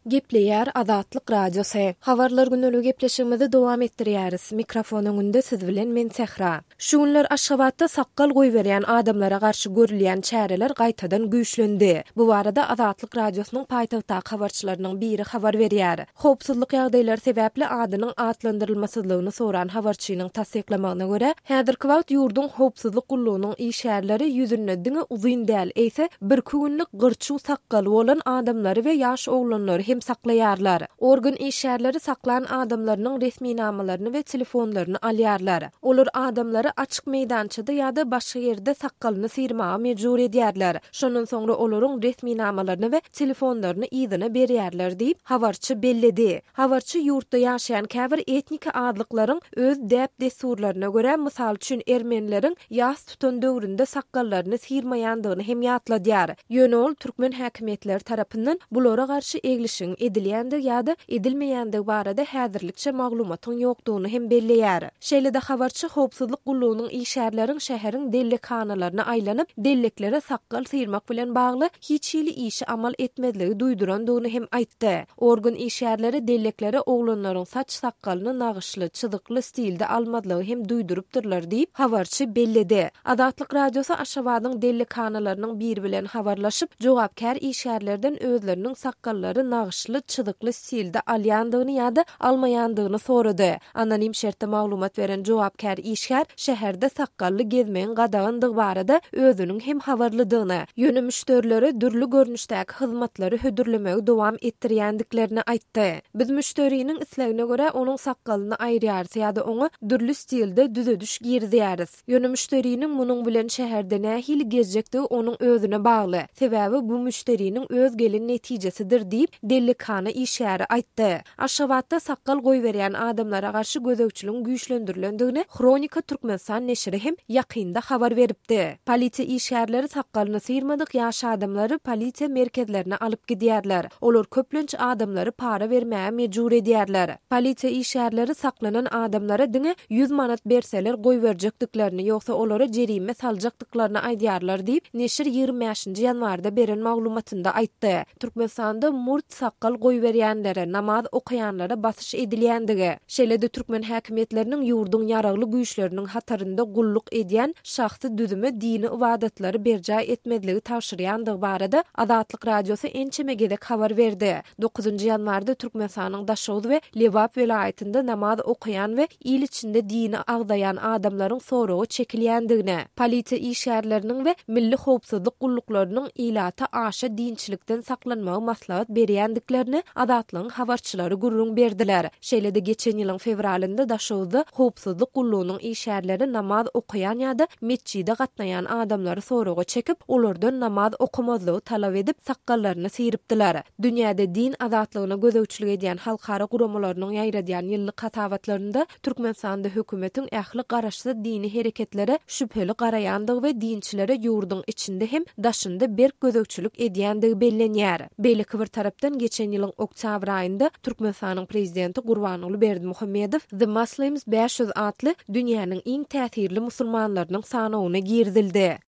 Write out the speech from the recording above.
Gepleýär Azatlyk Radiosy. Habarlar gündeligi gepleşigimizi dowam etdirýäris. Mikrofon öňünde siz bilen men Sähra. Şu günler Aşgabatda sakgal goýberýän adamlara garşy görülýän çäreler gaýtadan güýçlendi. Bu barada Azatlyk Radiosynyň paýtagtdaky habarçylarynyň biri habar berýär. Howpsuzlyk ýagdaýlary sebäpli adynyň atlandyrylmasyzlygyny soran habarçynyň tassyklamagyna görä, häzirki wagt ýurduň howpsuzlyk gullugynyň işgärleri ýüzünde diňe uzyn däl, eýse, birki günlük gyrçuw sakgaly bolan adamlary we ýaş oglanlary hem saklaýarlar. Organ işgärleri saklan adamlarynyň resminamalaryny we telefonlaryny alýarlar. Olar adamlary açyk meýdançada ýa-da başga ýerde sakgalyny syrmaga mejbur edýärler. Şondan soňra olaryň resminamalaryny we telefonlaryny yzyna berýärler diýip, habarçy belledi. Habarçy ýurtda ýaşaýan käbir etniki azlyklaryň öz däp-dessurlaryna görä, mysal üçin, ermenileriň ýas tutan döwründe sakgallaryny syrmaýandygyny hem ýatladýar. Ýöne ol türkmen häkimiýetleri tarapyndan bulara garşy eglişigiň edilýändigi ýa-da edilmeýändigi barada häzirlikçe maglumatyň ýokdugyny hem belleýär. Şeýle-de habarçy howpsuzlyk gullugynyň işgärleriň şäheriň dellekhanalaryna aýlanyp, delleklere sakgal syrmak bilen bagly hiç hili işi amal etmezligi duýdurandygyny hem aýtdy. Organ işgärleri delleklere oglanlaryň saç-sakgalyny nagyşly, çyzykly stilde almazlygy hem duýdurypdyrlar diýip, habarçy belledi. Azatlyk Radiosy Aşgabadyň dellekhanalarynyň biri bilen habarlaşyp, jogapkär işgärlerden özleriniň sakgallary nagyşly, çyzykly stilde alýandygyny ýa-da almaýandygyny sorady. Anonim şertde maglumat beren jogapkär işgär şäherde sakgally gezmegiň gadagandygy barada özüniň hem habarlydygyny, ýöne müşderilere dürli görnüşdäki hyzmatlary hödürlemegi dowam etdirýändiklerini aýtdy. Biz müşderiniň islegine görä onuň sakgalyny aýyrýarys ýa-da oňa dürli stilde düzediş girizýäris. Ýöne müşderiniň munuň bilen şäherde nähili gezjekdigi onuň özüne bagly. Sebäbi bu müşderiniň öz gelen netijesidir diýip, dellekhana işgäri aýtdy. Aşgabatda sakgal goýberýän adamlara garşy gözegçiligiň güýçlendirilendigini Hronika Türkmenistan neşiri hem ýakynda habar beripdi. Polisiýa işgärleri sakgalyny syrmadyk ýaş adamlary polisiýa merkezlerine alyp gidýärler. Olar köplenç adamlary para bermäge mejbur edýärler. Polisiýa işgärleri saklanan adamlara diňe 100 manat berseler goýberjekdiklerini, ýogsa olara jerime saljakdyklaryny aýdýarlar diýip, neşir 25-nji ýanwarda beren maglumatynda aýtdy. Türkmenistanda murt sakgal goýberýänlere, namaz okaýanlara basyş edilýändigi, şeýle-de türkmen häkimiýetleriniň ýurduň ýaragly güýçleriniň hatarynda gulluk edýän şahsy düzüme dini ybadatlary berjaý etmezligi tabşyrýandygy barada Azatlyk Radiosy ençeme gezek habar berdi. Dokuzynjy ýanwarda Türkmenistanyň Daşoguz we Lebap welaýatynda namaz okaýan we il içinde dini agzaýan adamlaryň soraga çekilýändigini, polisiýa işgärleriniň we milli howpsuzlyk gulluklarynyň ilata aşa dinçilikden saklanmagy maslahat berýändiklerini Azatlygyň habarçylary gürrüň berdiler. Şeýle-de geçen ýylyň fewralynda Daşoguzda howpsuzlyk gullugynyň işgärleri namaz okaýan ýa-da metjide gatnaýan adamlary soraga çekip, olardan namaz okamazlygy talap edip, sakgallaryny syrypdylar. Dünýäde din azatlygyna gözegçilik edýän halkara guramalarynyň ýaýradýan ýyllyk hasabatlarynda Türkmenistanda hökümetiň ähli garaşsyz dini hereketlere şübheli garaýandygy we dinçilere ýurduň içinde hem daşynda berk gözegçilik edýändigi bellenýär. Beýleki bir tarapdan, geçen ýylyň oktýabr aýynda Türkmenistanyň prezidenti Gurbanguly Berdimuhamedow The Muslims 500 atly dünýäniň iň täsirli musulmanlarynyň sanawyna girizildi.